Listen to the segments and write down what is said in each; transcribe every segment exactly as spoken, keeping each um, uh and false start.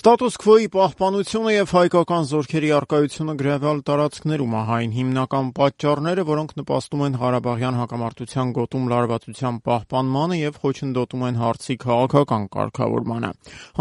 Ստատուս քվոյի պահպանությունը և հայկական զորքերի առկայությունը գրավյալ տարածքներում է այն հիմնական պատճառները, որոնք նպաստում են Ղարաբաղյան հակամարտության գոտում լարվածության պահպանմանը և խոչընդոտում են հարցի քաղաքական կարգավորմանը։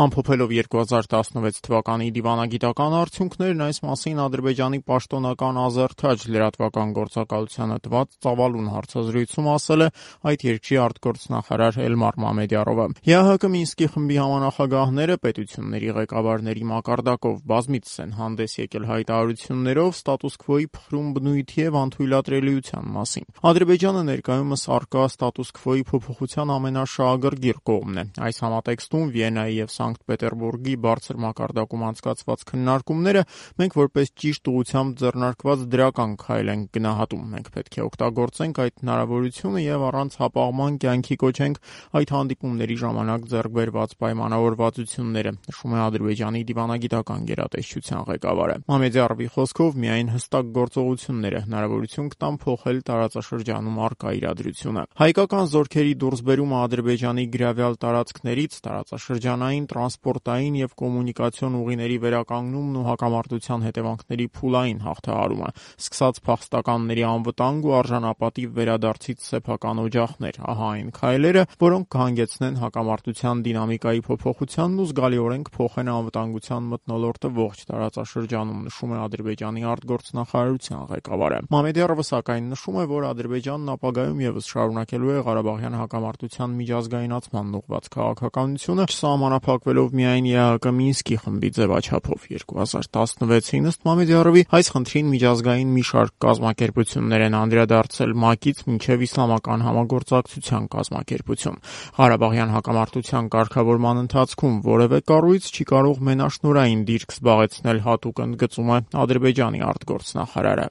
Ամփոփելով երկու հազար տասնվեց թվականի դիվանագիտական արդյունքներն, այս մասին Ադրբեջանի պաշտոնական Ազերթաջ լրատվական գործակալությանը տված ծավալուն հարցազրույցում ասել է այդ երկրի արտգործնախարար Էլմար Մամեդյարովը։ ԵԱՀԿ Մինսկի խմբի համանախագահները պետությունների ղեկավարների մակարդակով բազմիցս են հանդես եկել հայտարարություններով ստատուս քվոյի փխրուն բնույթի և անթույլատրելիության մասին։ Ադրբեջանը ներկայումս առկա ստատուս քվոյի փոփոխության ամենաշահագրգիռ կողմն է։ Այս համատեքստում Վիեննայի և Սանկտ Պետերբուրգի բարձր մակարդակում անցկացված քննարկումները մենք որպես ճիշտ ուղղությամբ ձեռնարկված դրական քայլ ենք գնահատում։ Մենք պետք է օգտագործենք այդ հնարավորությունը և առանց հապաղման կյանքի կոչենք այդ հանդիպումների ժամանակ ձեռք բերված պայմանավորվածությունները, նշում է Ադրբեջանի դիվանագիտական գերատեսչության ղեկավարը։ Մամեդյարովի խոսքով միայն հստակ գործողությունները հնարավորություն կտան փոխել տարածաշրջանում առկա իրադրությունը։ Հայկական զորքերի դուրսբերումը Ադրբեջանի գրավյալ տարածքներից, տարածաշրջանային, տրանսպորտային և կոմունիկացիոն ուղիների վերականգնումն ու հակամարտության հետևանքների փուլային հաղթահարումը, սկսած փախստականների անվտանգ ու արժանապատիվ վերադարձից սեփական օջախներ, ահա այն քայլերը, որոնք կհանգեցնեն հակամարտության դինամիկայի փոփոխությանն ու զգալիորեն կփոխեն անվտանգության մթնոլորտը ողջ տարածաշրջանում, նշում է Ադրբեջանի արտգործնախարարության ղեկավարը։ Մամեդյարովը սակայն նշում է, որ Ադրբեջանն ապագայում ևս շարունակելու է Ղարաբաղյան հակամարտության միջազգայնացմանն ուղղված քաղաքականությունը, չսահմանափակվելով միայն ԵԱՀԿ Մինսկի խմբի ձևաչափով։ երկու հազար տասնվեցին ըստ Մամեդյարովի այս խնդրին միջազգային մի շարք կազմակերպություններ են անդրադարձել ՄԱԿ-ից մինչև Իսլամական համագործակցության կազմակերպություն։ Ղարաբաղյան հակամարտության կարգավորման ընթացքում որևէ կառույց չի կարող մենաշնորհային դիրք զբաղեցնել հատուկ, ընդգծում է Ադրբեջանի արտգործնախարարը։